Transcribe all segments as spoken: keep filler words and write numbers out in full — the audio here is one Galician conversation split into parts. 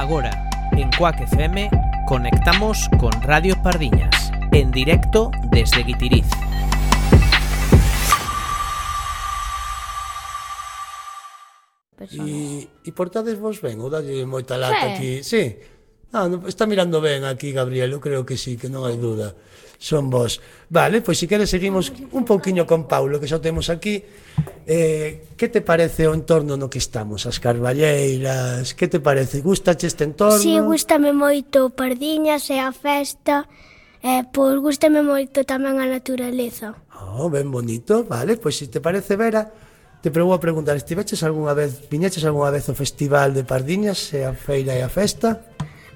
Agora, en Cuac F M, conectamos con Radio Pardiñas, en directo desde Guitiriz. E, e portades vos ben, ou dalle moita lata aquí? Sí. Ah, no, está mirando ben aquí, Gabriel, eu creo que sí, que non hai duda. Son vos. Vale, pois se queres seguimos un pouquiño con Paulo, que xa temos aquí. Eh, que te parece o entorno no que estamos? As carballeiras, que te parece? Gustache este entorno? Si, sí, gústame moito Pardiñas e a festa. Eh, pois gústame moito tamén a naturaleza. Oh, ben bonito, vale, pois se te parece, Vera, te vou a preguntar, estiveches algunha vez, viñeches algunha vez ao Festival de Pardiñas, e a feira e a festa?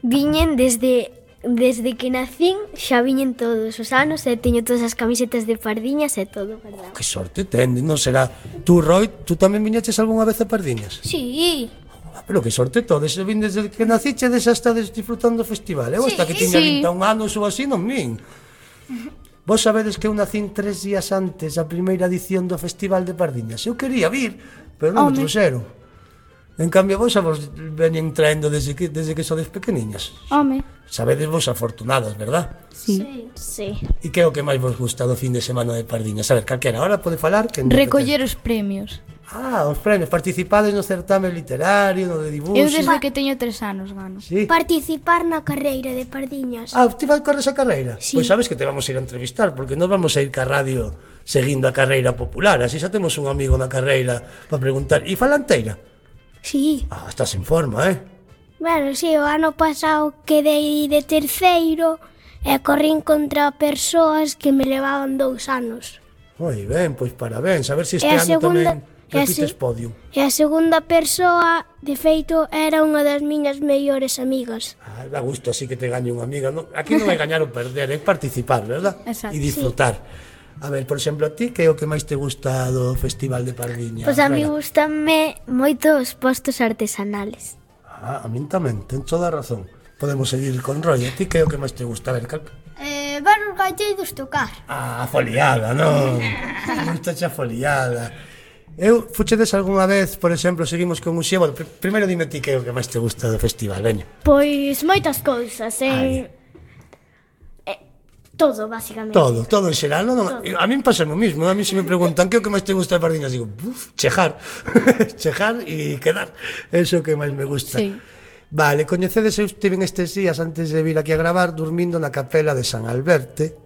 Viñen desde desde que nacín, xa viñen todos os anos e teño todas as camisetas de Pardiñas e todo, verdad? Que sorte ten, non será? Tú, Roy, tú tamén viñeches algunha vez a Pardiñas? Sí. Ah, pero que sorte todos, se vin desde que naciche xa estades disfrutando do festival. Eu hasta que tiña sí. vinte e un anos ou así non vin. Vos sabedes que eu nacín tres días antes da primeira edición do Festival de Pardiñas. Eu quería vir, pero non me trouxeron. En cambio, vos a vos veñen traendo desde que, desde que sodes pequeniñas. Home. Sabedes vos afortunadas, verdad? Sí. Sí. E que é o que máis vos gusta do fin de semana de Pardiñas? A ver, calquera, ahora pode falar? Que Recoller os premios. Ah, os premios. Participades no certame literario, no de dibuxo. Eu desde que teño tres anos gano. Sí. Participar na carreira de Pardiñas. Ah, ti vas correr esa carreira? Sí. Pois sabes que te vamos a ir a entrevistar, porque nos vamos a ir ca radio seguindo a carreira popular. Así xa temos un amigo na carreira para preguntar. E falanteira? Sí. Ah, estás en forma, eh? Bueno, sí, o ano pasado quedei de terceiro e corrín contra persoas que me levaban dous anos. Moi ben, pois parabéns. A ver se este E a ano segunda- tamén e a repites se- podium. E a segunda persoa, de feito, era unha das miñas mellores amigas. Ah, dá gusto así que te gañe unha amiga. No, aquí non vai gañar ou perder, é participar, verdad? Exacto. E disfrutar. A ver, por exemplo, a ti, que é o que máis te gusta do Festival de Pardiñas? Pois a mí Vera? gustame moito os postos artesanales. Ah, a min tamén, ten toda a razón. Podemos seguir con Roy. A ti, que é o que máis te gusta? A ver, cal... Eh, ver os galleiros tocar. Ah, a foliada, non? Gusta xa foliada. Eu, fuchedes algunha vez, por exemplo, seguimos con un xeo. Bueno, pr primeiro dime ti que é o que máis te gusta do festival, veño. Pois moitas cousas, Ai. eh, eh todo, basicamente. Todo, todo en xeral, non? non. A min pasa o mismo, a mí se me preguntan que é o que máis te gusta de Pardiñas, digo, buf, chejar, chejar e quedar, eso que máis me gusta. Sí. Vale, coñecedes, eu estive estes días antes de vir aquí a gravar dormindo na capela de San Alberte,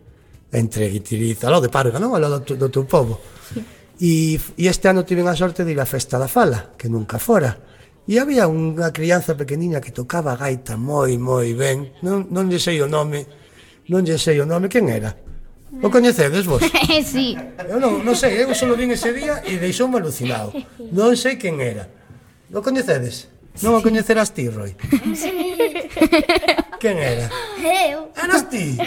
entre Guitiriz, ao lado de Parga, non? Ao lado do, do teu povo. E, e este ano tive a sorte de ir á festa da Fala, que nunca fora. E había unha crianza pequeniña que tocaba a gaita moi, moi ben, non, non lle sei o nome, non lle sei o nome, quen era? O coñecedes vos? Sí. Eu non, non sei, eu só vin ese día e deixoume alucinado. Non sei quen era. O coñecedes? Non o coñecerás ti, Roy? Quen era? Eu. Eras ti?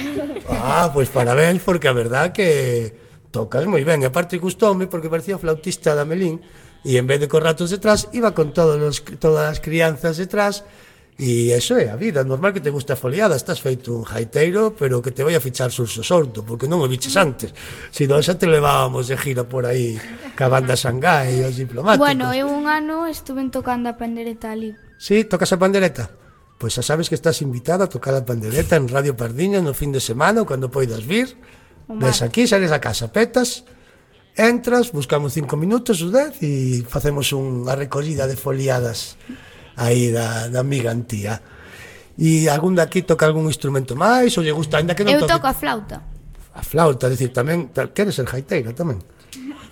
Ah, pois parabéns, porque a verdad que tocas moi ben. E aparte gustoume porque parecía flautista da Melín e en vez de con ratos detrás iba con todos los, todas as crianzas detrás. E eso é a vida, normal que te gusta a foliada. Estás feito un jaiteiro, pero que te vai a fichar Surso Sordo, porque non o biches antes. Si non, xa te levábamos de gira por aí ca banda Xangai e os diplomáticos. Bueno, eu un ano estuve tocando a pandereta ali. Sí, tocas a pandereta? Pois xa sabes que estás invitada a tocar a pandereta en Radio Pardiñas no fin de semana ou cando poidas vir. Ves aquí, sales a casa, petas, entras, buscamos cinco minutos ou dez e facemos unha recollida de foliadas aí da, da amiga Antía. E algún daqui toca algún instrumento máis ou lle gusta, ainda que non Eu toque toco a flauta. a flauta, decir, tamén queres ser jaiteiro tamén?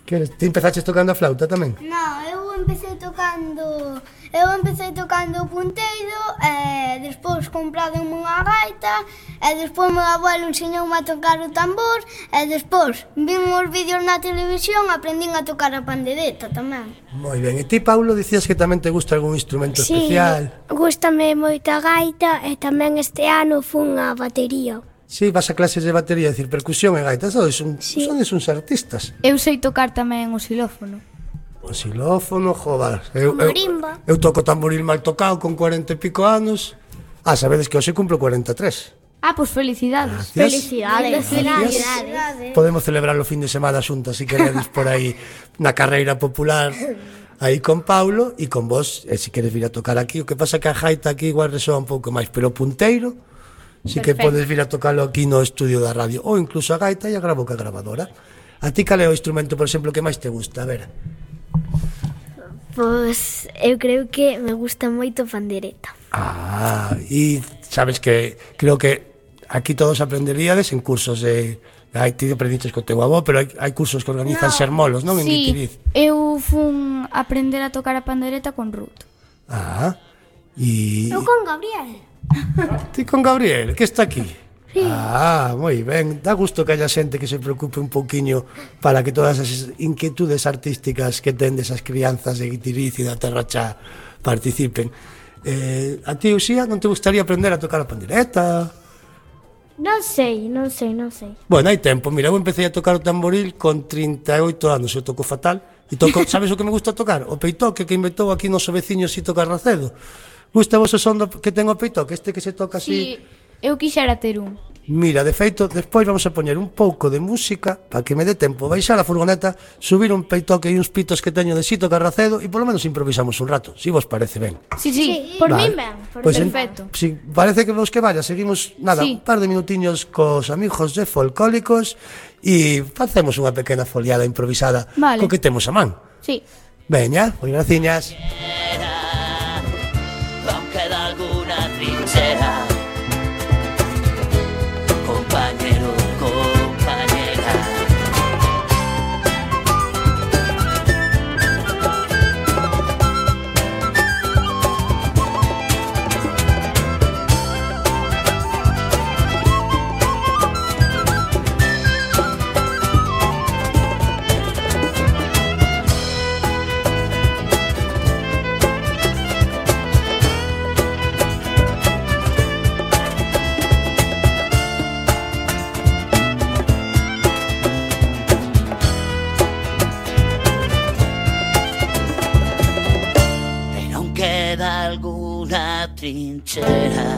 Queres, ti empezaches tocando a flauta tamén? No, eu empecé tocando Eu empecé tocando o punteiro e despois comprade unha gaita e despois meu abuelo enseñoume a tocar o tambor e despois vin os vídeos na televisión e aprendín a tocar a pandereta tamén. Moi ben, e ti, Paulo, dicías que tamén te gusta algún instrumento especial? Gústame moito a gaita e tamén este ano fun a batería. Sí, vas a clases de batería, decir, percusión e gaita, sodes, un, Sí. sodes uns artistas. Eu sei tocar tamén o xilófono. O xilófono, joder. Eu, eu, Marimba. eu toco tamboril mal tocado con cuarenta e pico anos. Ah, sabedes que hoxe cumplo cuarenta e tres. Ah, pois felicidades. Gracias. Felicidades. Felicidades. Podemos celebrar o fin de semana xuntas, se queredes, por aí, na carreira popular. aí con Paulo e con vos, e se queres vir a tocar aquí. O que pasa que a gaita aquí igual resoa un pouco máis, pero o punteiro si que Perfecto. podes vir a tocarlo aquí no estudio da radio, ou incluso a gaita e a gravo ca gravadora. A ti cal é o instrumento, por exemplo, que máis te gusta? A ver. Pois eu creo que me gusta moito a pandereta. Ah, e sabes que creo que aquí todos aprenderíades en cursos de... Aí ti aprendiches co teu avó, pero hai, hai cursos que organizan no. Sermolos, non? En Sí, Guitiriz. eu fun aprender a tocar a pandereta con Ruth. Ah, e... Eu con Gabriel. Ti con Gabriel, que está aquí? Sí. Ah, moi ben. Dá gusto que haya xente que se preocupe un pouquiño para que todas as inquietudes artísticas que ten desas crianzas de Guitiriz e da Terra Chá participen. Eh, a ti, Uxía, non te gustaría aprender a tocar a pandereta? Non sei, non sei, non sei. Bueno, hai tempo. Mira, eu empecé a tocar o tamboril con trinta e oito anos. Eu toco fatal. E toco, sabes o que me gusta tocar? O peitoque que inventou aquí noso veciño Xito Carracedo. Gusta vos o son do, que ten o peitoque? Este que se toca así... Si, eu quixera ter un. Mira, de feito, despois vamos a poñer un pouco de música para que me dé tempo baixar a furgoneta, subir un peitoque e uns pitos que teño de Xito Carracedo e polo menos improvisamos un rato, si vos parece ben. Si, si, Sí, por Vale. min ben, por Pois en- perfecto. Si parece que vos que vaya, seguimos nada, Sí. un par de minutiños cos amigos de Folcólicos e facemos unha pequena foliada improvisada Vale. co que temos a man. Sí. Veña, moi graciñas. Aunque de alguna trinchera, compañero, compañera. Pero aún queda alguna trinchera,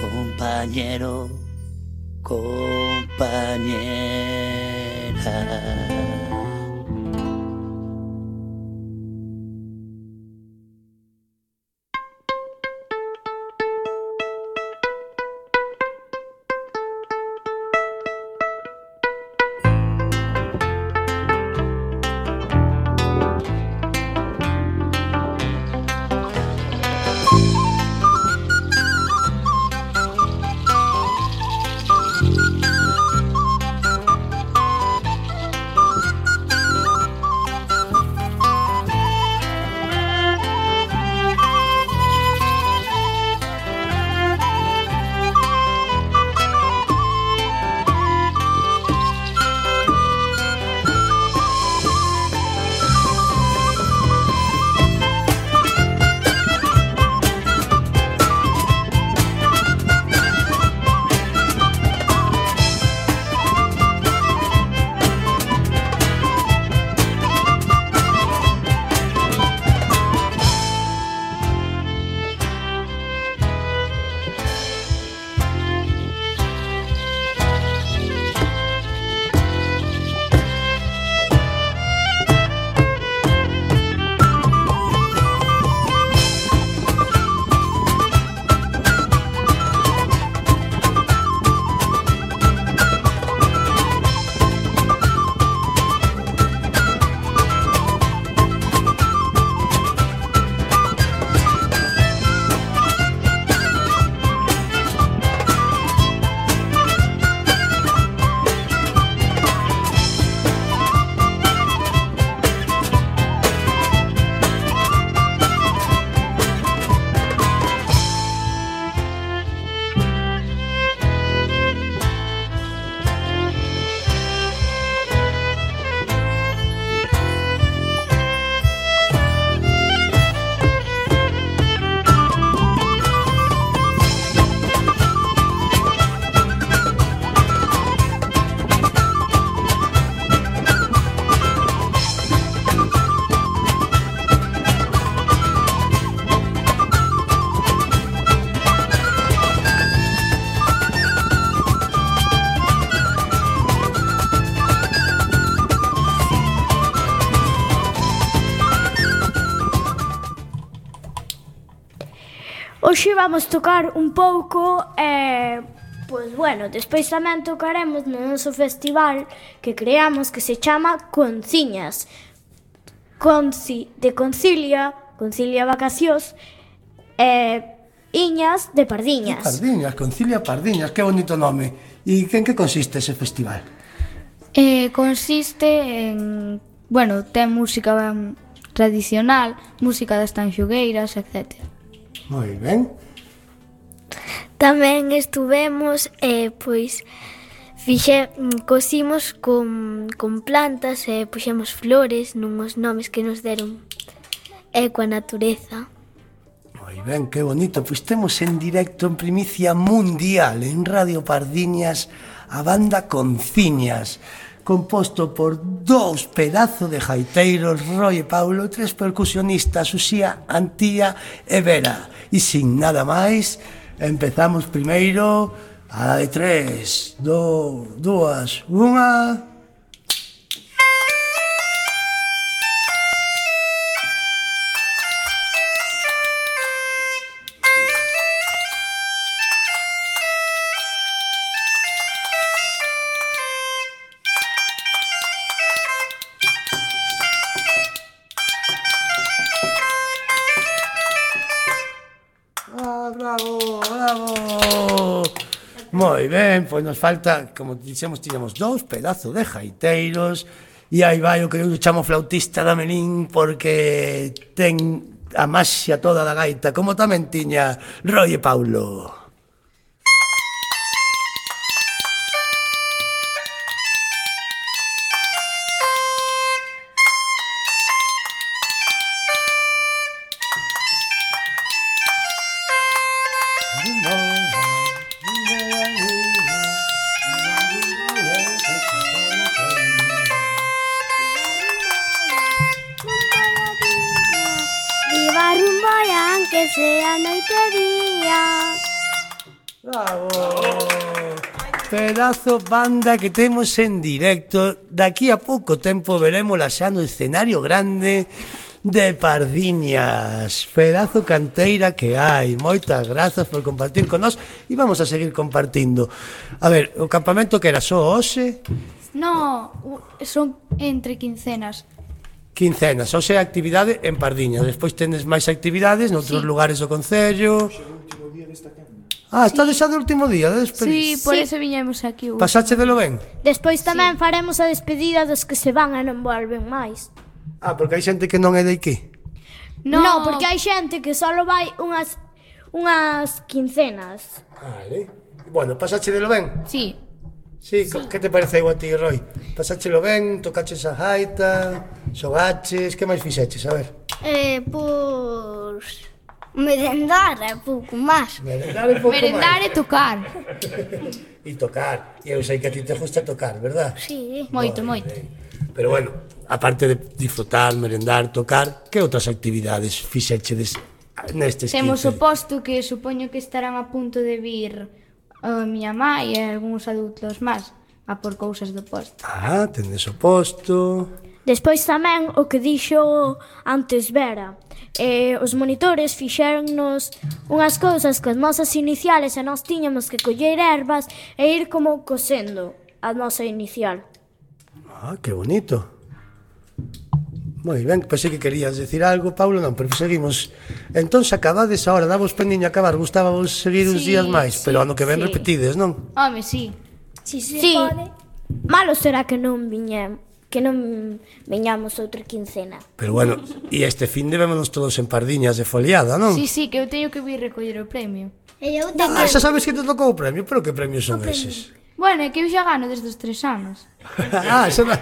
compañero, compañera. hoxe vamos tocar un pouco e, pois, bueno, despois tamén tocaremos no noso festival que creamos que se chama Conciñas. Conci, de Concilia, Concilia Vacacións e Iñas de Pardiñas. Pardiñas, Concilia Pardiñas, que bonito nome. E en que consiste ese festival? Eh, consiste en... Bueno, ten música um, tradicional, música das tanxugueiras, etcétera. Moi ben. Tamén estuvemos, eh, pois, fixe, cosimos con, con plantas e eh, puxemos flores nunhos nomes que nos deron e coa natureza. Moi ben, que bonito. Pois temos en directo en primicia mundial en Radio Pardiñas a banda Conciñas, composto por dous pedazos de gaiteiros, Roy e Paulo, e tres percusionistas, Uxía, Antía e Vera. E sin nada máis, empezamos primeiro a de tres, do, dúas, unha... Bravo, bravo. Moi ben, pois nos falta, como dixemos, tiñamos dous pedazos de gaiteiros e aí vai o que eu chamo flautista da Melín porque ten a maxia toda da gaita, como tamén tiña Roy e Paulo. Viva Rumboián, que sea noite e día. Bravo! Pedazo banda que temos en directo. Daqui a pouco tempo verémola xa no escenario grande de Pardiñas. Pedazo canteira que hai. Moitas grazas por compartir con nós e vamos a seguir compartindo. A ver, o campamento que era só hoxe? No, son entre quincenas. Quincenas, hoxe é actividade en Pardiñas. Despois tenes máis actividades noutros Sí. lugares do concello. Ah, está sí. Xa do último día de Sí, despedida. por Sí. eso viñemos aquí. Pasache de lo ben? Despois tamén faremos a despedida dos que se van e non volven máis. Ah, porque hai xente que non é de aquí. No, no porque hai xente que só vai unhas unhas quincenas. Vale. Bueno, pasache de lo ben? Sí. Sí, sí. Que te pareceu a ti, Roy? Pasáchelo ben, tocaches a gaita, xogaches, que máis fixeches? A ver. Eh, pois... merendar é pouco máis. Merendar un pouco Merendar máis. e tocar. E tocar. E eu sei que a ti te gusta tocar, verdad? Sí. Moito, moito. Pero bueno, aparte de disfrutar, merendar, tocar, que outras actividades fixechedes nestes Temos o quince? posto que supoño que estarán a punto de vir a miña mai e algúns adultos máis a por cousas do posto. Ah, tendes o posto... Despois tamén o que dixo antes Vera. Eh, os monitores fixéronnos unhas cousas coas nosas iniciales e nós tiñamos que coller ervas e ir como cosendo a nosa inicial. Ah, que bonito. Moi ben, pensei que querías decir algo, Paulo, non, pero seguimos. Entón, se acabades ahora, davos pendiño a acabar, gustábamos seguir uns Sí, días máis, sí, pero ano que ven sí. repetides, non? Home, sí. Si se Sí, pode. malo será que non viñem, que non viñamos outra quincena. Pero bueno, e este fin de vémonos todos en Pardiñas de foliada, non? Sí, sí, que eu teño que vir recoller o premio. E eu Ah, tamén. xa sabes que te tocou o premio, pero que premios son eses? Bueno, é que eu xa gano desde os tres anos. ah, xa non...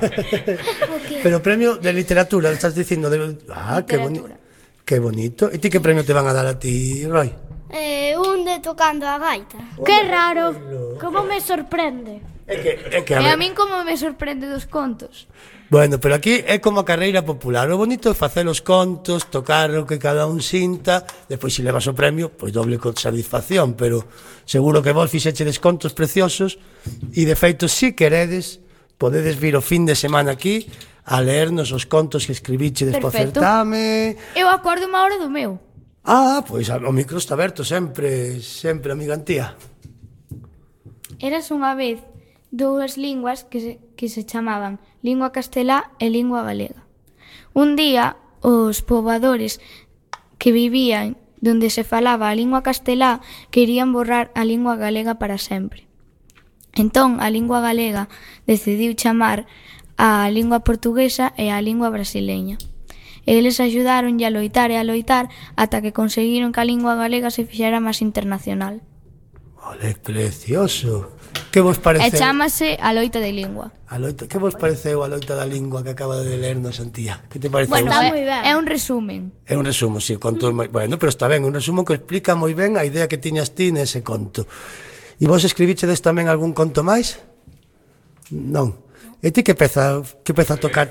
Pero premio de literatura, estás dicindo de... Ah, que bonito. Literatura. Que bonito. E ti que premio te van a dar a ti, Roy? Eh, un de tocando a gaita. Que raro, como me sorprende. É que, é que a, E a ver... min como me sorprende dos contos. Bueno, pero aquí é como a carreira popular. O bonito é facer os contos, tocar o que cada un sinta, despois se levas o premio, pois doble con satisfacción, pero seguro que vos fixechedes contos preciosos e de feito, si queredes, podedes vir o fin de semana aquí a leernos os contos que escribichedes po Perfecto. certame. Eu acordo unha hora do meu. Ah, pois o micro está aberto sempre, sempre, amiga Antía. Eras unha vez dúas linguas que se, que se chamaban lingua castelá e lingua galega. Un día, os poboadores que vivían donde se falaba a lingua castelá querían borrar a lingua galega para sempre. Entón, a lingua galega decidiu chamar a lingua portuguesa e a lingua brasileña. Eles axudaron a loitar e a loitar ata que conseguiron que a lingua galega se fixera máis internacional. Ole, precioso. Que vos pareceu? E chámase a loita de lingua. A loita, que vos pareceu a loita da lingua que acaba de lernos Antía? Que te pareceu? Bueno, Está é, moi ben. é un resumen. É un resumo, si, sí, conto moi... Bueno, pero está ben, un resumo que explica moi ben a idea que tiñas ti nese conto. E vos escribichedes tamén algún conto máis? Non. E ti que peza, que peza a tocar?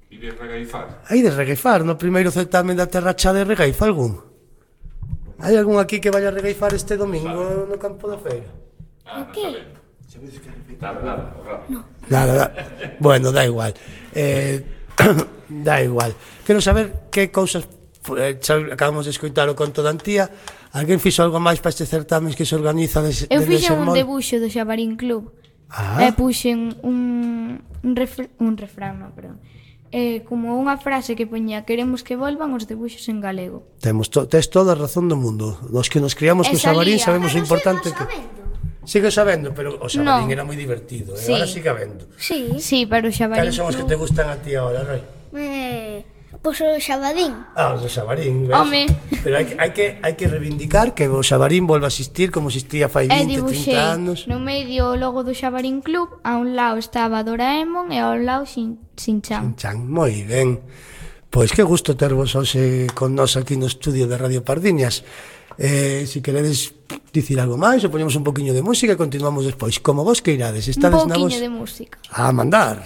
E de regaifar. Hai de regaifar, no primeiro certamen da Terra Chá de regaifa algún? Hai algún aquí que vaya a regaifar este domingo no campo da feira? Ah, o qué? Nada, nada, no. Nada, nada. Bueno, da igual. Eh, da igual. Quero saber que cousas eh, acabamos de escoitar o conto da Antía. Alguén fixo algo máis para este certamen que se organiza des, Eu de fixen un Sermón? debuxo do Xabarín Club. Ah. E puxen un un, refr un refrán, no, perdón. Eh, como unha frase que poñía queremos que volvan os debuxos en galego. Temos to, tes toda a razón do mundo. Os que nos criamos E co Xabarín salía. sabemos o Pero importante sigo que... sabendo. Sigue sabendo, pero o Xabarín No. era moi divertido. Sí. E agora sigue habendo. Sí. Sí, pero o Xabarín Cales son os que Club... te gustan a ti agora, Roy? Eh, pois o Xabadín. Ah, os do Xabarín, ves? Home. Pero hai que, hai que, hai que reivindicar que o Xabarín volva a existir como existía fai E vinte, dibuxei trinta anos. no medio o logo do Xabarín Club. A un lado estaba Doraemon e ao lado Shin, Shin-chan. Chan, moi ben. Pois que gusto tervos hoxe con nós aquí no estudio de Radio Pardiñas. Eh, si queredes dicir algo máis, ou poñemos un poquinho de música e continuamos despois. Como vos que irades, Un estades na vos... pouquiño de música. A mandar.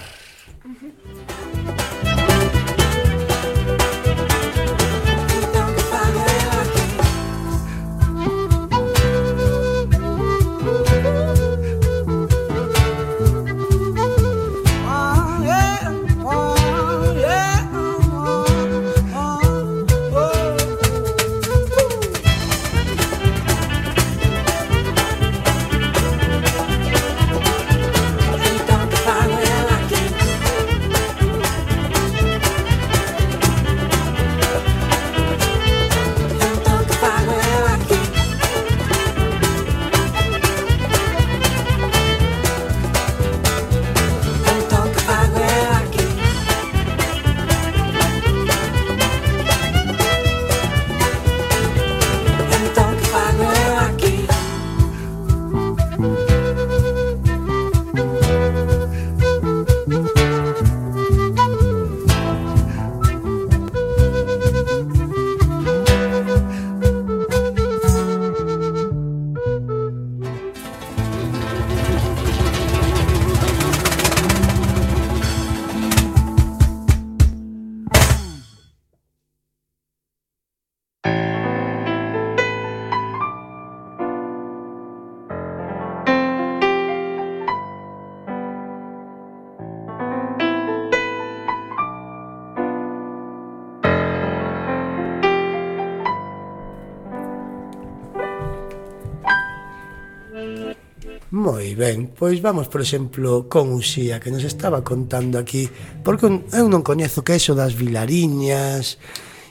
Moi ben, pois vamos, por exemplo, con Uxía, que nos estaba contando aquí, porque eu non coñezo que é eso das vilariñas,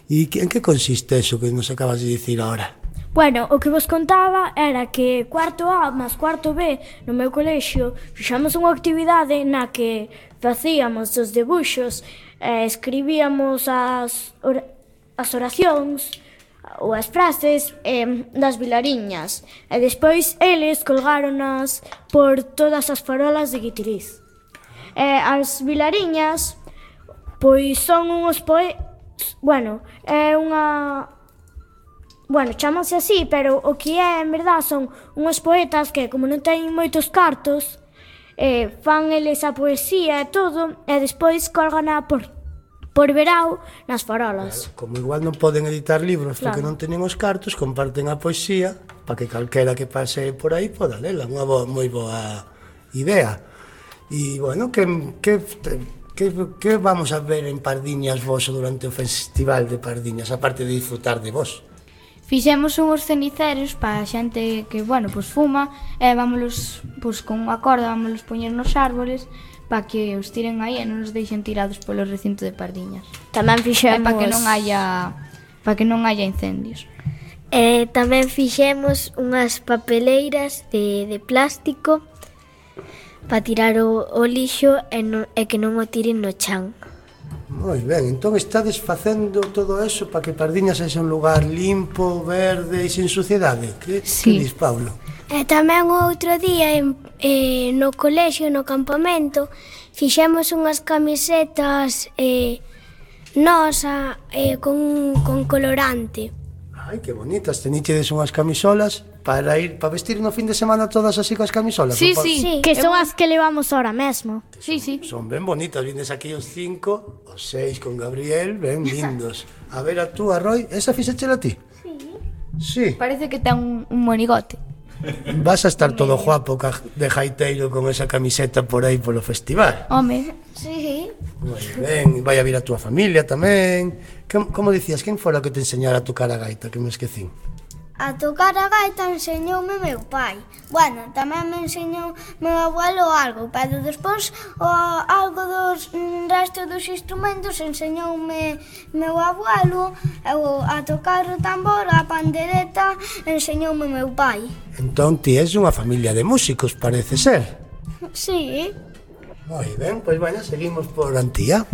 e en que consiste eso que nos acabas de dicir ahora? Bueno, o que vos contaba era que cuarto A máis cuarto B no meu colexio fixamos unha actividade na que facíamos os debuxos, eh, escribíamos as, or as oracións ou as frases eh, das vilariñas e despois eles colgáronas por todas as farolas de Guitiriz. Eh, as vilariñas pois son uns poe... bueno, é unha... Bueno, chámanse así, pero o que é, en verdad, son unhos poetas que, como non teñen moitos cartos, eh, fan eles a poesía e todo, e despois colgana por, por verao nas farolas. Claro, como igual non poden editar libros claro, porque non teñen os cartos, comparten a poesía para que calquera que pase por aí poda lela, unha boa, moi boa idea. E, bueno, que, que Que, que vamos a ver en Pardiñas vos durante o Festival de Pardiñas, aparte de disfrutar de vos? Fixemos uns ceniceros para a xente que, bueno, pois fuma, e vámonos, pois con unha corda, vámonos poñer nos árboles para que os tiren aí e non os deixen tirados polo recinto de Pardiñas. Tamén fixemos... E para que non haya, para que non haya incendios. E tamén fixemos unhas papeleiras de, de plástico para tirar o, o lixo e, no, e que non o tiren no chan. Moi ben, entón estades facendo todo eso para que Pardiñas sexa un lugar limpo, verde e sin suciedade. Que, Sí. que dis, Paulo? E tamén o outro día en, eh, no colexio, no campamento, fixemos unhas camisetas eh, nosa eh, con, con colorante. Ai, que bonitas, teníchedes unhas camisolas para ir para vestir no fin de semana todas así coas camisolas. Sí, non pa- sí. Sí, que son as que levamos ahora mesmo. Sí, sí. Son ben bonitas, vienes aquí os cinco, os seis con Gabriel, ben lindos. A ver a tú, a Roy, esa fixéchela a ti? Sí. Sí. Parece que ten un, un monigote. Vas a estar todo guapo ca- de jaiteiro con esa camiseta por aí polo festival. Home, Sí. Moi ben, vai a vir a túa familia tamén. Que, como dicías, quen fora que te enseñara a tocar a gaita, que me esquecín? A tocar a gaita enseñoume meu pai. Bueno, tamén me enseñou meu abuelo algo, pero despois o, algo dos mm, resto dos instrumentos enseñoume meu abuelo, e o, a tocar o tambor, a pandereta, enseñoume meu pai. Entón ti és unha familia de músicos, parece ser. Sí. Moi ben, pois bueno, seguimos por Antía.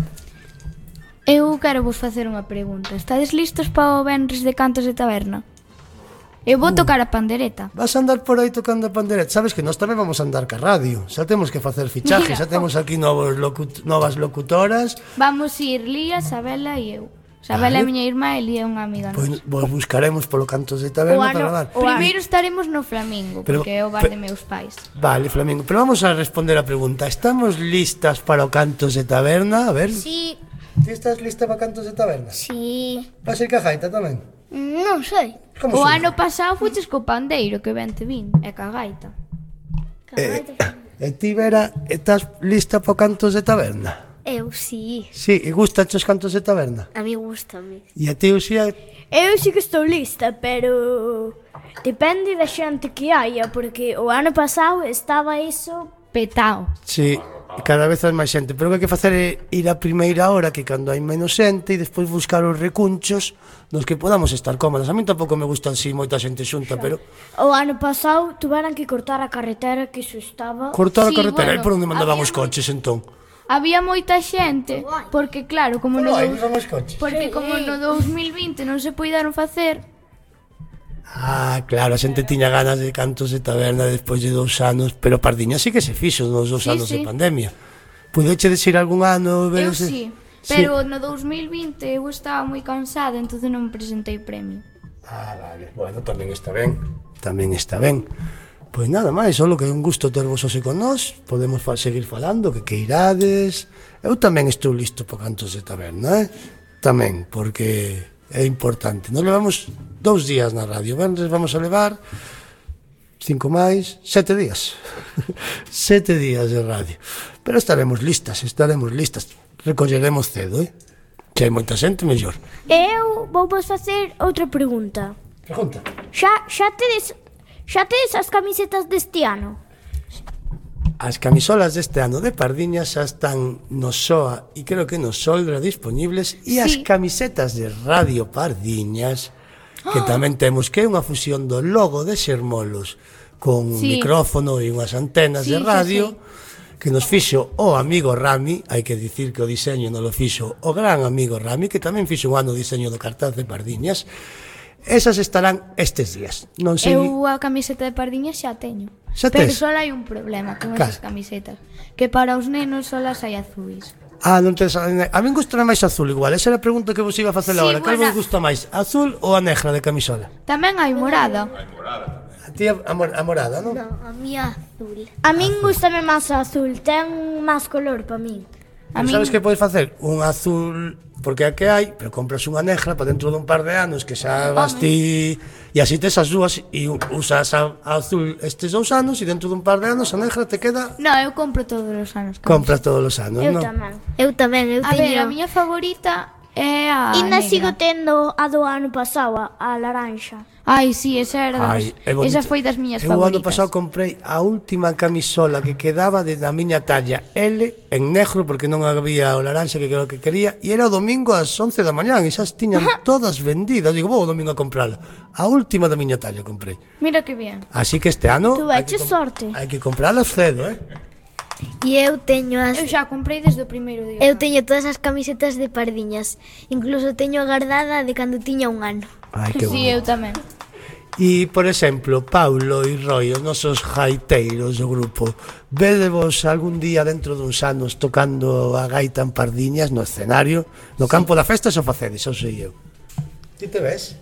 eu quero vos facer unha pregunta. Estades listos para o venres de cantos de taberna? Eu vou tocar a pandereta. Vas a andar por aí tocando a pandereta. Sabes que nós tamén vamos a andar ca radio. Xa temos que facer fichajes, xa temos aquí novos locut novas locutoras. Vamos ir Lía, Sabela e eu. Sabela é Vale. miña irmá e Lía é unha amiga Pois nosa. vos buscaremos polo Cantos de Taberna O ano- para dar. o ano- Primeiro estaremos no Flamingo, Pero- porque é o bar pe- de meus pais. Vale, Flamingo, pero vamos a responder a pregunta. Estamos listas para o Cantos de Taberna? A ver. Sí. Ti estás lista para Cantos de Taberna? Sí. Vas a ir ca gaita tamén? Non sei. Como O son? ano pasado fuches co pandeiro, que ben te vin, e ca gaita. Eh, e ti, Vera, estás lista para o Cantos de Taberna? Eu sí, Sí, e gusta os Cantos de Taberna? a mí gustame. E a ti, Uxía, Eu sí que estou lista, pero depende da xente que haya, porque o ano pasado estaba iso... Petao. sí, cada vez hai máis xente, pero o que hai que facer é ir a primeira hora, que cando hai menos xente, e despois buscar os recunchos nos que podamos estar cómodos. A mí tampouco me gusta así moita xente xunta, pero O ano pasado tuveran que cortar a carretera, que iso estaba... cortar a Sí, carretera, bueno, e por onde mandaban había os coches entón? Había moita xente, porque claro, como no Pero hai, dous- non os coches. porque como no dous mil vinte non se puideron facer, Ah, claro, a xente tiña ganas de Cantos de Taberna despois de dous anos, pero Pardiña sí que se fixo nos dous Sí, anos sí. de pandemia. Pudeche decir algún ano? eu verse? sí, pero no dous mil vinte eu estaba moi cansada, entonces non presentei premio. Ah, vale, bueno, tamén está ben, tamén está ben. Pois nada máis, só que é un gusto tervos hoxe con nós, podemos fa seguir falando, que que irades. Eu tamén estou listo para Cantos de Taberna, eh? Tamén, porque é importante. Nos levamos dous días na radio, venres vamos a levar cinco máis, sete días. Sete días de radio. Pero estaremos listas, estaremos listas. Recolleremos cedo, eh? Se hai moita xente, mellor. Eu vou vos facer outra pregunta. Pregunta. Xa, xa tedes... Xa tedes as camisetas deste ano? As camisolas deste ano de Pardiñas xa están no S O A e creo que no Soldra disponibles, e as Sí. camisetas de Radio Pardiñas, que tamén temos, que é unha fusión do logo de Xermolos con un Sí. micrófono e unhas antenas Sí, de sí, radio, sí. que nos fixo o amigo Rami. Hai que dicir que o diseño non lo fixo o gran amigo Rami, que tamén fixo un ano o diseño do cartaz de Pardiñas. Esas estarán estes días. Non sei. Eu a camiseta de Pardiñas xa teño. Xa Pero tes? só hai un problema con Cal? esas camisetas, que para os nenos só las hai azuis. Ah, non tes, a mí gusta máis azul igual. Esa era a pregunta que vos iba a facer Sí, agora. Cal vos buena. gusta máis, azul ou a negra de camisola? Tamén hai morada. A ti a, mor- a morada, non? No, a mí azul. A min gustame máis o azul, ten máis color para min. A Pero min sabes que podes facer? Un azul porque a que hai, pero compras unha negra para dentro dun par de anos que xa vas ti e así tes as dúas e usas a, a azul estes dous anos e dentro dun par de anos a negra te queda. No, eu compro todos os anos. Compras todos os anos, Eu non? tamén. Eu tamén, eu A ver, teño... a miña favorita é a Ainda negra. sigo tendo a do ano pasado, a, a laranxa. Ai, sí, esa era das, Ai, é bonito. esa foi das miñas Eu o ano favoritas. pasado comprei a última camisola que quedaba de da miña talla L en negro porque non había o laranxa que era o que quería e era o domingo ás once da mañá e xa as tiñan todas vendidas. Digo, vou o domingo a comprala. A última da miña talla comprei. Mira que bien. Así que este ano Tú hai que vaiche sorte. hai que compralas cedo, eh? E eu teño as... Eu xa comprei desde o primeiro día. Eu teño todas as camisetas de Pardiñas. Incluso teño a guardada de cando tiña un ano. Ai, que Sí, eu bonito. tamén. E, por exemplo, Paulo e Roy, os nosos gaiteiros do grupo, vedevos algún día dentro duns anos tocando a gaita en Pardiñas no escenario, no campo da festa, xo facedes, xo sei eu. Ti te ves?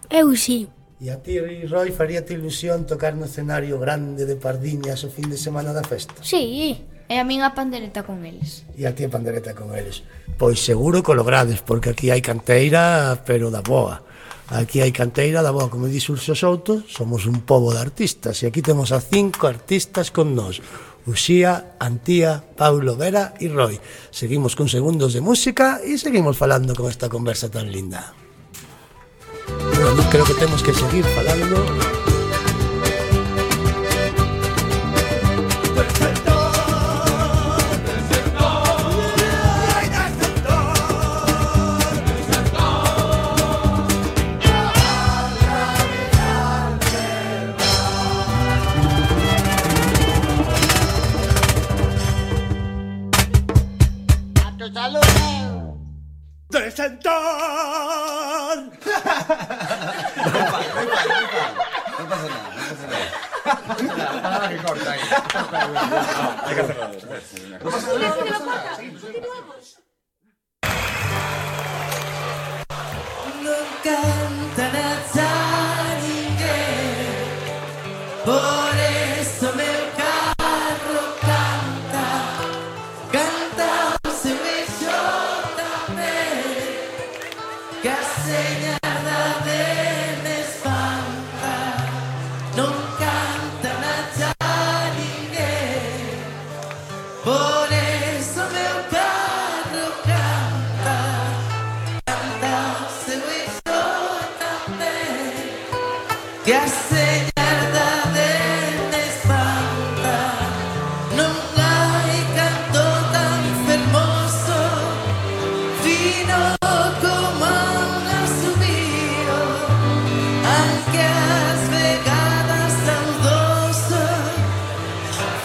Eu sí. E a ti, Roy, faríate ilusión tocar no escenario grande de Pardiñas o fin de semana da festa? Sí. E a min a pandereta con eles. E a ti a pandereta con eles? Pois seguro que o logrades, porque aquí hai canteira, pero da boa. Aquí hai canteira da boa, como di Xurxo Souto, somos un pobo de artistas, e aquí temos a cinco artistas con nós. Uxía, Antía, Paulo, Vera e Roy. Seguimos con segundos de música e seguimos falando con esta conversa tan linda. Bueno, creo que temos que seguir falando. ¡Desentón! Non cantan a ninguén, por eso meu carro canta, canta se me xota tamén, que a señada de me espanta. Non cantan a ninguén, por eso meu carro canta, canta se me xota tamén, que a señada de me espanta. Non hai canto tan fermoso, fino como un asubío, anque as vegadas saudoso,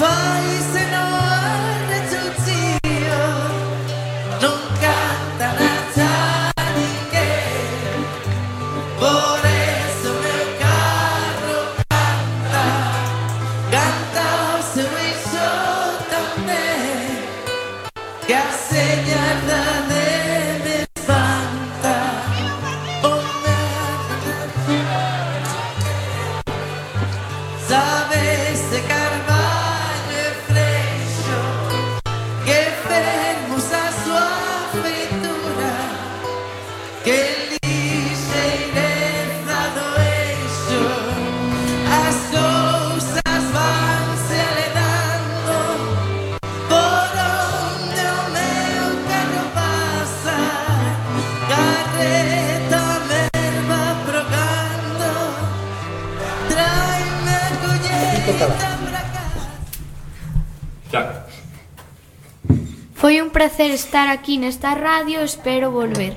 faise no arrechuchío. Non cantan a ninguén, por eso meu carro canta, canta o seu eixo tamén, que a señada de me espanta. Oh, sabes de Carballo e Freixo, que fermos a súa feitura, que lixeireza do eixo, as cousas vanse aledando, por onde o meu carro pasa, carreta merva progrando, tráeme a colleita pra casa. Xa. Foi un placer estar aquí nesta radio, espero volver.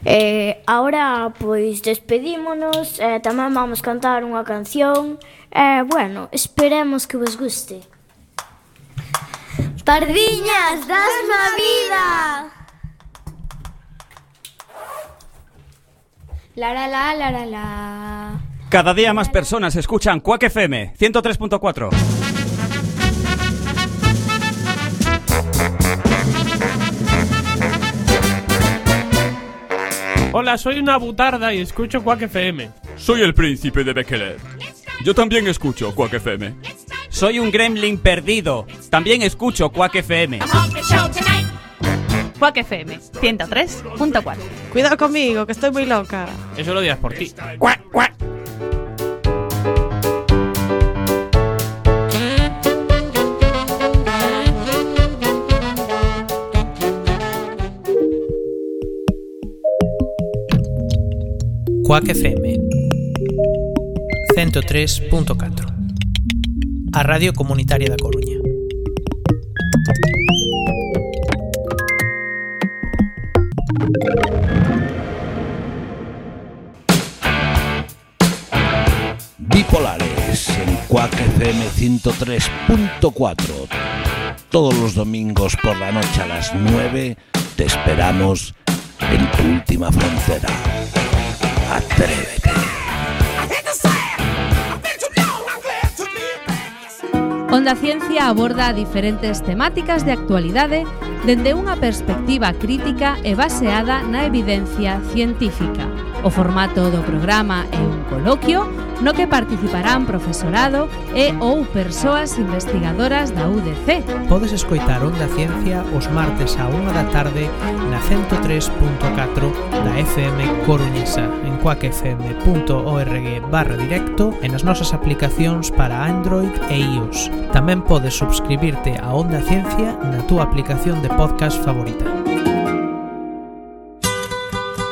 Eh, ahora, pois, despedímonos, eh, tamén vamos cantar unha canción. Eh, bueno, esperemos que vos guste. Pardiñas, dasme a vida. La la la la la la. Cada día más personas escuchan Quack F M ciento tres punto cuatro. Hola, soy una butarda y escucho Quack F M. Soy el príncipe de Bekele. Yo también escucho Quack F M. Soy un gremlin perdido. También escucho Quack F M. Quack F M, ciento tres punto cuatro. Cuidado conmigo, que estoy muy loca. Eso lo dirás por ti. Cuac, cuac. Quack F M ciento tres punto catro, a Radio Comunitaria da Coruña. Bipolares en Quack F M ciento tres punto cuatro. Todos los domingos por la noche a las nueve te esperamos en tu última frontera. Atrévete. Onda Ciencia aborda diferentes temáticas de actualidade dende unha perspectiva crítica e baseada na evidencia científica. O formato do programa é un coloquio no que participarán profesorado e ou persoas investigadoras da U D C. Podes escoitar Onda Ciencia os martes á unha da tarde na ciento tres punto catro da F M coruñesa en quack f m punto org barra directo e nas nosas aplicacións para Android e iOS. Tamén podes subscribirte a Onda Ciencia na túa aplicación de podcast favorita.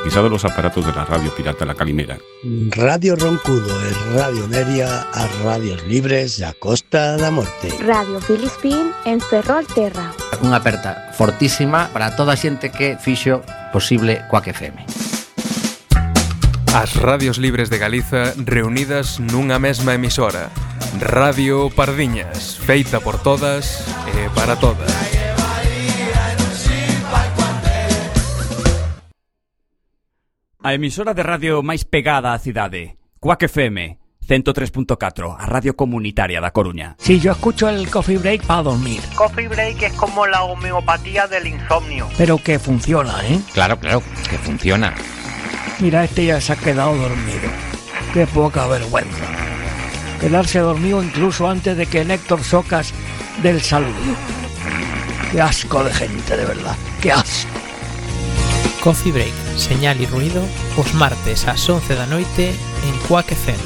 Pisado los aparatos de la radio pirata La Calimera. Radio Roncudo e Radio Neria, as radios libres da Costa da Morte. Radio Filispín en Ferrolterra. Unha aperta fortísima para toda a xente que fixo posible Quack F M. As radios libres de Galiza reunidas nunha mesma emisora. Radio Pardiñas, feita por todas e para todas. A emisora de radio máis pegada á cidade, Quack F M, ciento tres punto catro, a radio comunitaria da Coruña. Sí, yo escucho el Coffee Break para dormir. Coffee Break es como la homeopatía del insomnio. Pero que funciona, ¿eh? Claro, claro, que funciona. Mira, este ya se ha quedado dormido. Qué poca vergüenza. Quedarse dormido incluso antes de que Néctor Socas dé el saludo. Qué asco de gente, de verdad. Qué asco. Coffee Break, señal e ruido, os martes ás once da noite en Quack F M.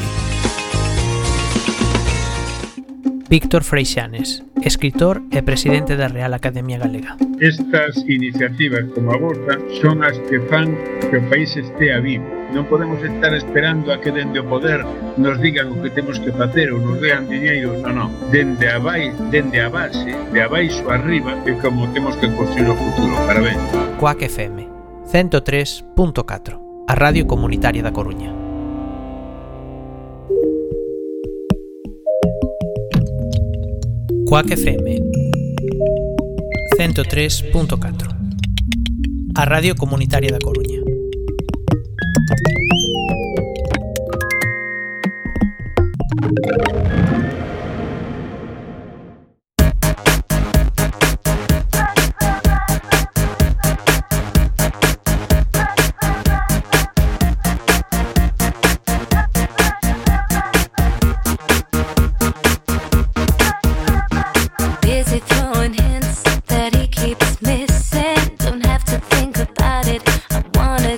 Víctor Freixanes, escritor e presidente da Real Academia Galega. Estas iniciativas como a vosa son as que fan que o país estea vivo. Non podemos estar esperando a que dende o poder nos digan o que temos que facer ou nos dean diñeiro. Non, non. Dende a, vai, dende a base, de abaixo arriba, é como temos que construir o futuro. Parabéns. Quack F M ciento tres punto catro, a Radio Comunitaria da Coruña. Quack F M ciento tres punto catro, a Radio Comunitaria da Coruña. Wanna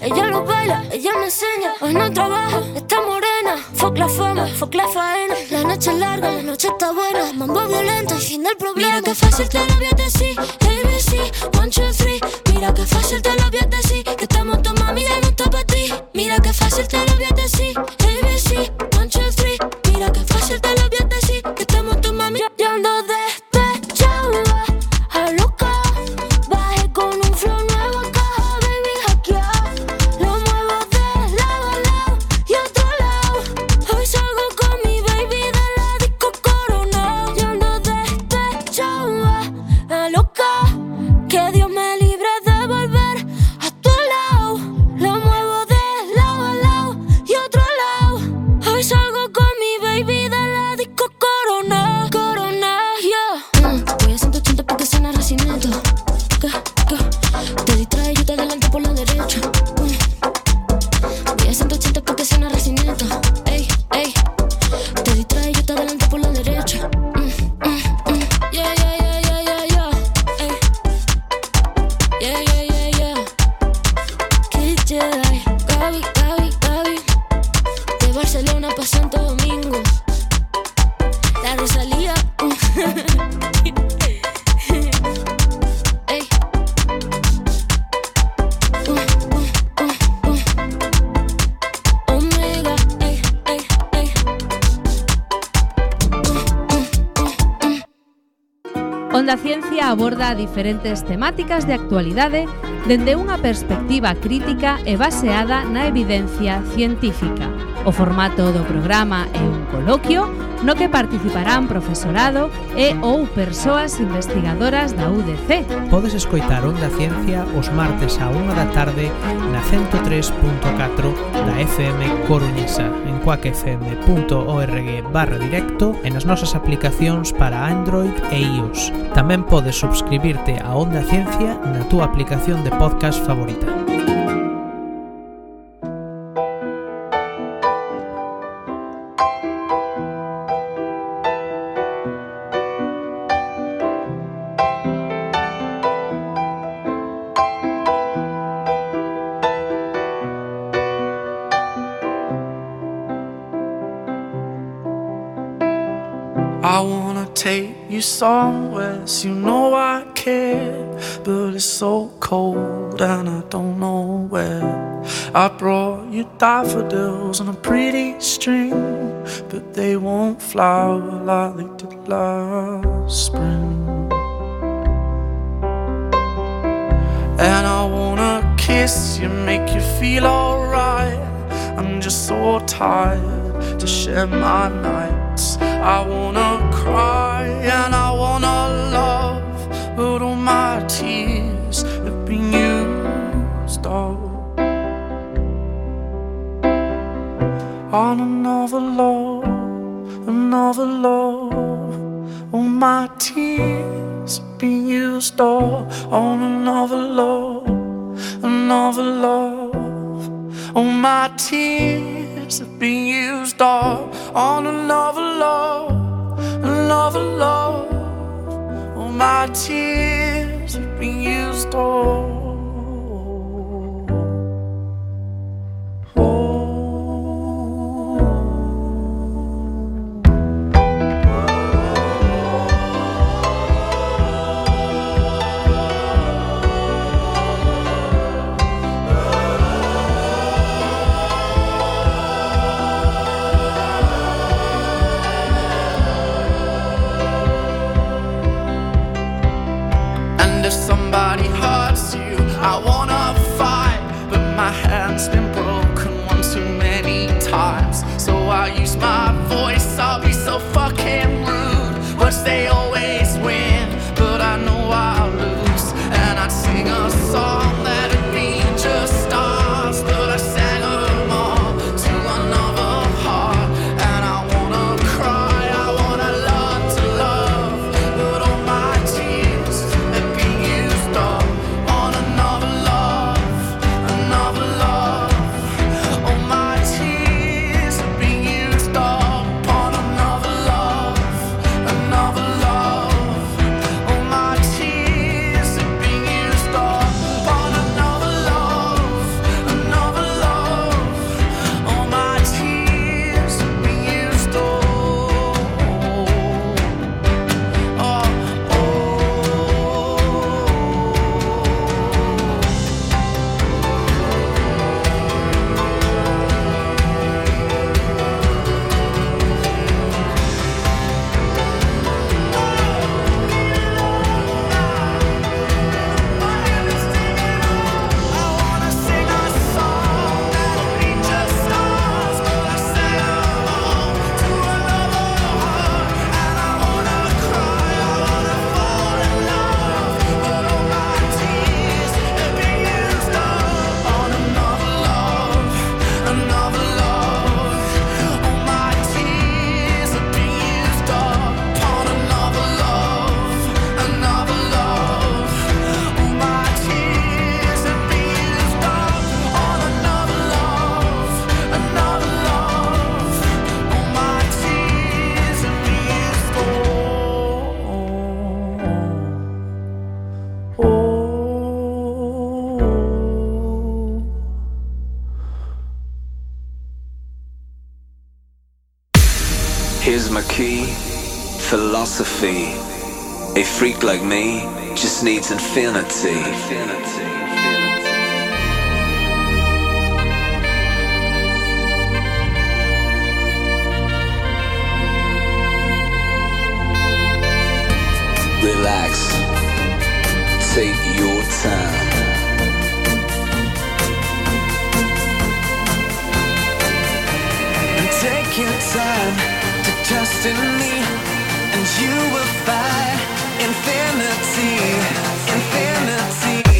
ella lo baila, ella me enseña. Hoy no trabaja, está morena. Fuck la fama, fuck la faena. La noche es larga, la noche está buena. Mambo violento y fin del problema. Mira que fácil te lo voy a decir. A B C, one, two, three. Mira que fácil te lo voy a decir. Que estamos tu mami, ya no está para ti. Mira que fácil te lo voy a decir. A B C, one, two, three. Mira que fácil te lo voy a decir. Que estamos tu mami, yo ando despechada, a loca. Bajé con un flow nuevo, caja, baby, hackear. Lo muevo de lado a lado y otro lado. Hoy salgo con mi baby de la disco Corona. Yo ando despechada, a loca. Que Dios me libre de volver a tu lado. Lo muevo de lado a lado y otro lado. Hoy salgo con mi baby de la disco Corona. Corona, yeah. Mm, voy a ciento ochenta porque suena racimiento. ¿Qué? ¿Qué? Te distrae, yo te adelanto por la derecha. Mm. Voy a ciento ochenta porque suena racimiento. Ey, ey. Te distrae, yo te adelanto por la derecha. Mm, mm, mm. Yeah, yeah, yeah, yeah, yeah, yeah. Ey. Yeah, yeah, yeah, yeah. Kid Jedi. Gaby, Gaby, Gaby. De Barcelona pa' Santo Domingo. La Rosalía. Ey. Uh, uh, uh, uh. Omega. Ey, ey, ey. Onda Ciencia aborda diferentes temáticas de actualidade dende unha perspectiva crítica e baseada na evidencia científica. O formato do programa é un coloquio no que participarán profesorado e ou persoas investigadoras da U D C. Podes escoitar Onda Ciencia os martes á unha da tarde na ciento tres punto catro da F M Coruñesa, en quack f m punto org barra directo e nas nosas aplicacións para Android e iOS. Tamén podes subscribirte a Onda Ciencia na túa aplicación de podcast favorita. I wanna take you somewhere, so you know I care, but it's so cold and I don't know where. I brought you daffodils on a pretty string, but they won't flower like they did last spring. And I wanna kiss you, make you feel alright. I'm just so tired to share my nights. I wanna cry and I wanna love, but all my tears have been used up on another love, another love. All my tears have been used up on another love, another love. All my tears have been used up on another love, another love. All my tears have been used up. And if somebody hurts you, I wanna fight, but my hand's been broken one too many times. So I use my voice, I'll be so fucking rude. Words they always win, but I know I'll lose. And I'd sing a song that'd be just stars, but I sang them all to another heart. And I wanna cry, I wanna learn to love, but all my tears have been used up on another love, another love. All my tears have been used up on another love, another love. Here's my key, philosophy. A freak like me just needs infinity. Relax, take your time. And take your time to trust in me, and you will find infinity, infinity.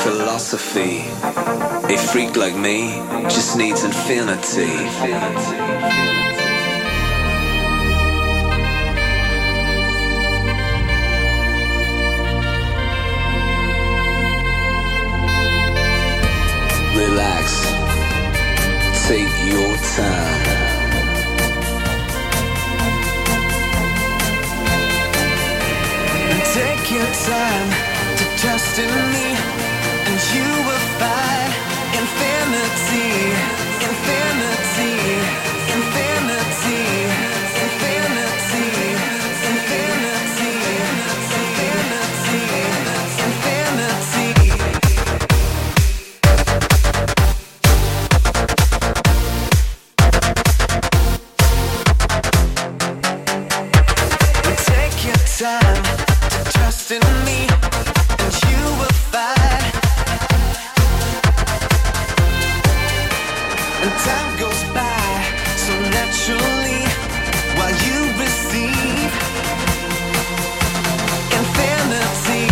Philosophy. A freak like me just needs infinity. Relax, take your time. And take your time to trust in me, and you will find infinity, infinity, infinity, infinity, infinity, infinity, infinity. Take your time to trust in me, and you will find. And time goes by so naturally while you receive infinity.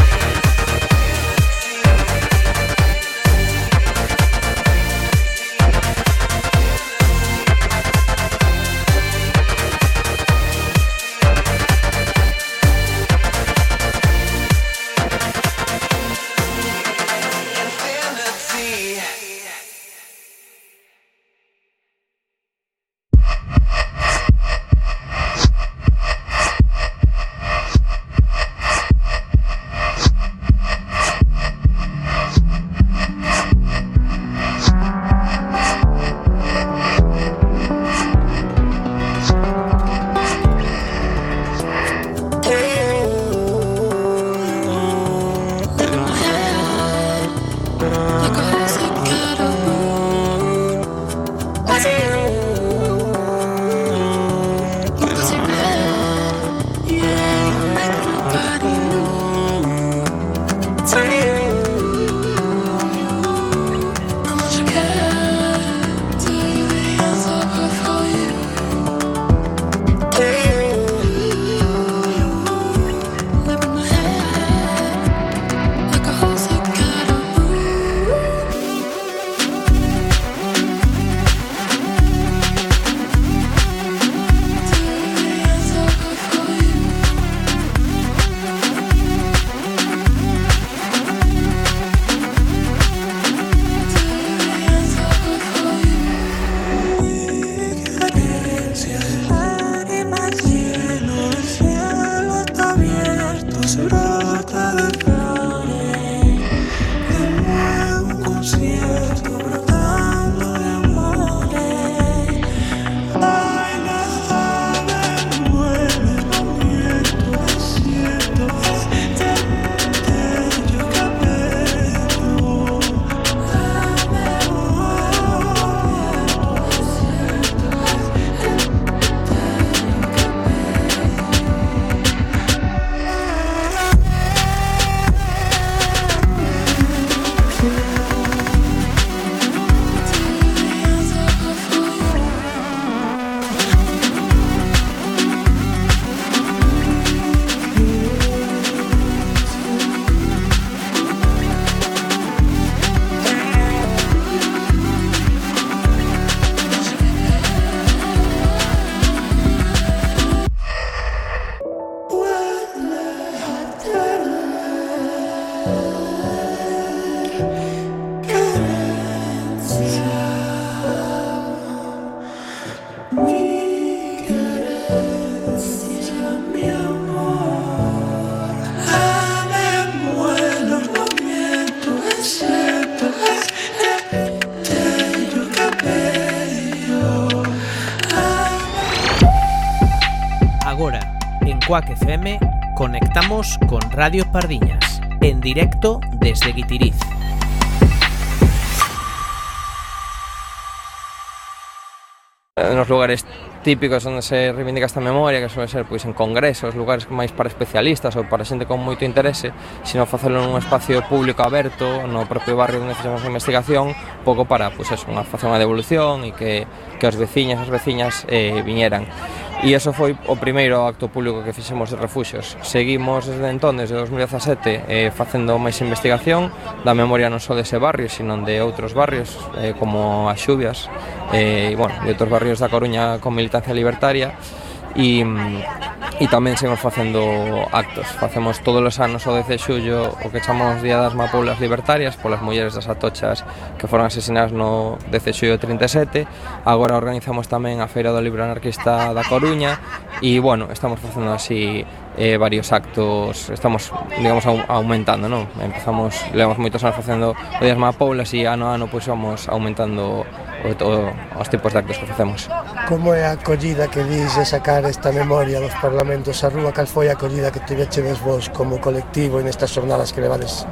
Agora, en Quack F M, conectamos con Radio Pardiñas, en directo desde Guitiriz. Nos lugares típicos onde se reivindica esta memoria, que suele ser pois en congresos, lugares máis para especialistas ou para xente con moito interese, sino facelo nun espacio público aberto no propio barrio onde facemos a investigación, pouco para, pois eso, unha facer unha devolución e que, que os veciñas e as veciñas eh, viñeran. E iso foi o primeiro acto público que fixemos de refuxios. Seguimos desde entón, desde dos mil dezasete, eh, facendo máis investigación da memoria non só dese barrio, sino de outros barrios, eh, como as Xubias, eh, e, bueno, de outros barrios da Coruña con militancia libertaria, e, e tamén seguimos facendo actos. Facemos todos os anos o dez de xullo o que chamamos Día das Mapoulas Libertarias, polas mulleres das Atochas que foron asesinadas no dez de xullo de trinta e sete. Agora organizamos tamén a Feira do Libro Anarquista da Coruña e, bueno, estamos facendo así eh, varios actos, estamos, digamos, aumentando, non? Empezamos, levamos moitos anos facendo o Día das Mapoulas e ano a ano pois vamos aumentando o, o, os tipos de actos que facemos. Como é a acollida que dis de sacar esta memoria dos parlamentos á rúa? Cal foi a acollida que tivechedes vos como colectivo nestas xornadas que levades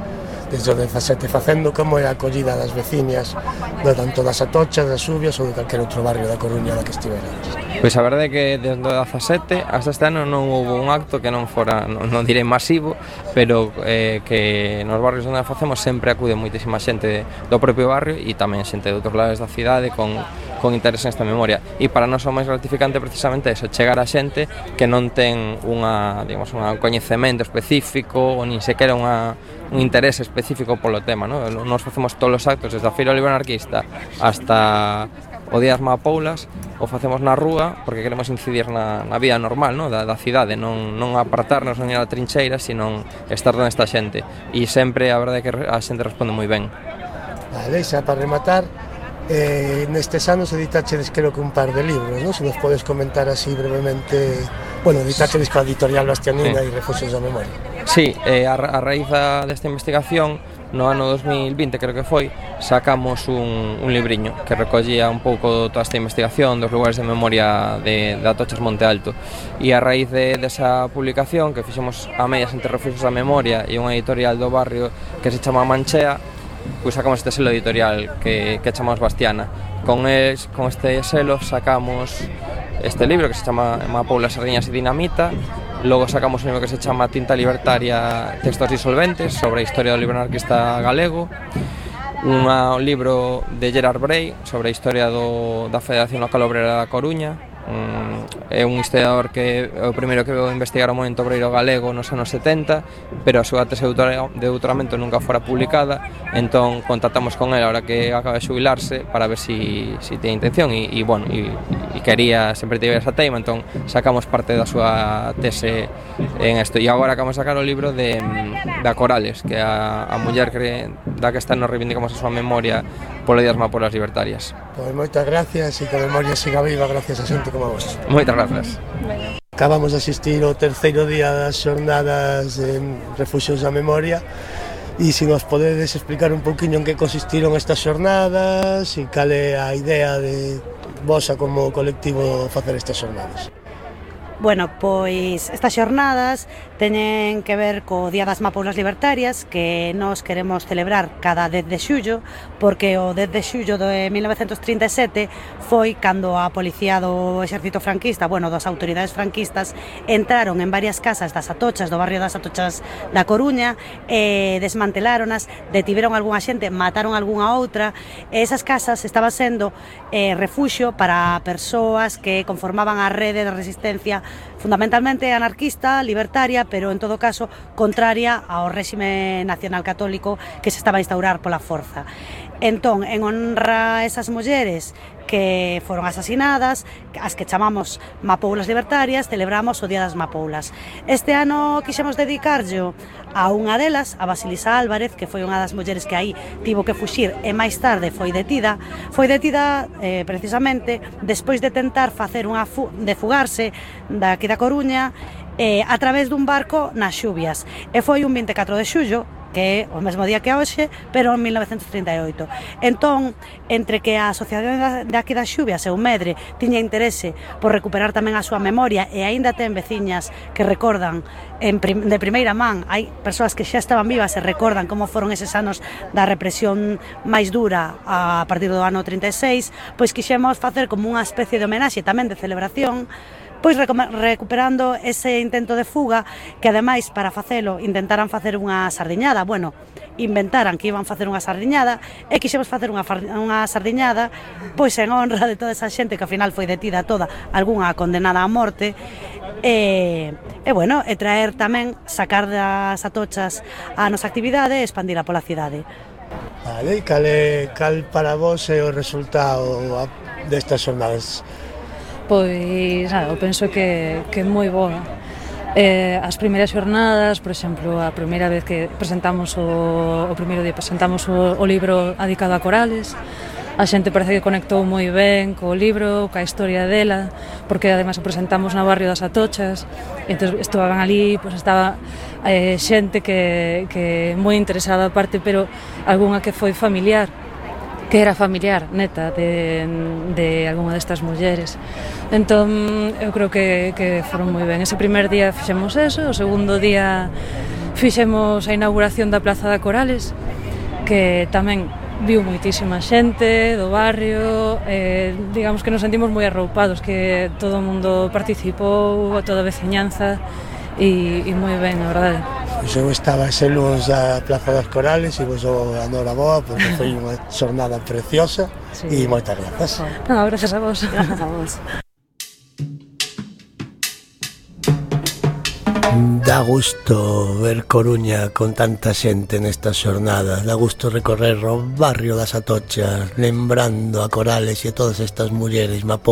desde o dezasete facendo? Como é a acollida das veciñas, tanto das Atochas, das Xubias ou de calquer outro barrio da Coruña da que estiverades? Pois a verdade é que desde o dezasete hasta este ano non houve un acto que non fora, non, non direi masivo, pero eh, que nos barrios onde facemos sempre acude moitísima xente do propio barrio e tamén xente de outros lados da cidade con, con interés nesta memoria. E para nós o máis gratificante precisamente é iso, chegar a xente que non ten unha, digamos, un coñecemento específico ou nin sequera unha, un interés específico polo tema, ¿no? Nos facemos todos os actos desde a Feira do Libro Anarquista hasta o Día das Mapoulas, o facemos na rúa porque queremos incidir na, na vida normal, no? da, da cidade, non, non apartarnos non ir a trincheira, sino estar donde está a xente, e sempre a verdade é que a xente responde moi ben. Vale, xa para rematar, eh, nestes anos editachedes creo que un par de libros, non? Se nos podes comentar así brevemente. Bueno, editachedes coa editorial Bastianina e sí. Refuxios da Memoria. Sí, eh, a, a raíz desta investigación, no ano dos mil vinte, creo que foi, sacamos un, un libriño que recollía un pouco toda esta investigación dos lugares de memoria de, de Atochas Monte Alto, e a raíz de, desa publicación que fixemos a medias entre Refuxios da Memoria e unha editorial do barrio que se chama Manchea, pois sacamos este selo editorial que, que chamamos Bastiana. Con, es, con este selo sacamos este libro que se chama Mapoulas, Sardiñas e Dinamita. Logo sacamos un libro que se chama Tinta Libertaria, Textos Disolventes, sobre a historia do libro anarquista galego. Un libro de Gerard Bray sobre a historia do, da Federación Local Obrera da Coruña. Um, é un historiador que é o primeiro que veu investigar o movimento obreiro galego nos anos setenta, pero a súa tese de doutoramento nunca fora publicada, entón contactamos con ele ahora que acaba de xubilarse para ver si, si ten intención e, e, bueno, e, e quería sempre tiver esa teima, entón sacamos parte da súa tese en isto, e agora acabamos de sacar o libro de, de Corales, que é a, a muller que, da que está nos reivindicamos a súa memoria polo Día das Mapoulas Libertarias. Pois moitas gracias e que a memoria siga viva gracias a xente como a vos. Moitas gracias. Acabamos de asistir ao terceiro día das xornadas en Refuxios da Memoria e se nos podedes explicar un pouquiño en que consistiron estas xornadas e cal é a idea de vosa como colectivo facer estas xornadas. Bueno, pois estas xornadas teñen que ver co Día das Mapoulas Libertarias que nós queremos celebrar cada dez de xullo, porque o dez de xullo de mil novecentos trinta e sete foi cando a policía do exército franquista, bueno, das autoridades franquistas, entraron en varias casas das Atochas, do barrio das Atochas da Coruña, e desmanteláronas, detiveron algunha xente, mataron algunha outra, e esas casas estaban sendo eh, refuxio para persoas que conformaban a rede de resistencia fundamentalmente anarquista, libertaria, pero en todo caso contraria ao réxime nacional católico que se estaba a instaurar pola forza. Entón, en honra a esas mulleres que foron asasinadas, as que chamamos mapoulas libertarias, celebramos o Día das Mapoulas. Este ano quixemos dedicarllo a unha delas, a Basilisa Álvarez, que foi unha das mulleres que aí tivo que fuxir e máis tarde foi detida. Foi detida eh, precisamente despois de tentar facer unha fu de fugarse daqui da Coruña eh, a través dun barco nas xubias. E foi un vinte e catro de xullo, que é o mesmo día que hoxe, pero en mil novecentos trinta e oito. Entón, entre que a Asociación de aquí das Xubias e o Medre tiña interese por recuperar tamén a súa memoria e aínda ten veciñas que recordan en prim de primeira man, hai persoas que xa estaban vivas e recordan como foron eses anos da represión máis dura a partir do ano trinta e seis, pois quixemos facer como unha especie de homenaxe tamén de celebración, pois recuperando ese intento de fuga que ademais para facelo intentaran facer unha sardiñada, bueno, inventaran que iban facer unha sardiñada e quixemos facer unha, unha sardiñada pois en honra de toda esa xente que ao final foi detida toda, algunha condenada a morte e, e bueno, e traer tamén, sacar das atochas a nosa actividade e expandila pola cidade. Vale, cal, é, cal para vos é o resultado destas jornadas? Pois, nada, eu penso que, que é moi boa. Eh, as primeiras xornadas, por exemplo, a primeira vez que presentamos o, o primeiro día presentamos o, o libro dedicado a Corales, a xente parece que conectou moi ben co libro, ca historia dela, porque ademais o presentamos no barrio das Atochas, e entón estaban ali, pois estaba eh, xente que, que moi interesada aparte, pero algunha que foi familiar, que era familiar, neta, de, de algunha destas mulleres. Entón, eu creo que, que foron moi ben. Ese primer día fixemos eso, o segundo día fixemos a inauguración da Plaza da Corales, que tamén viu moitísima xente do barrio, eh, digamos que nos sentimos moi arroupados, que todo o mundo participou, toda a veciñanza, e, e moi ben, a verdade. Pois eu estaba ese lunes da Plaza das Corales e vos dou a noraboa porque foi unha xornada preciosa sí. E moitas grazas. No, gracias a vos. Gracias a vos. Dá gusto ver Coruña con tanta xente nestas xornadas, dá gusto recorrer o barrio das Atochas lembrando a Corales e a todas estas mulleres mapou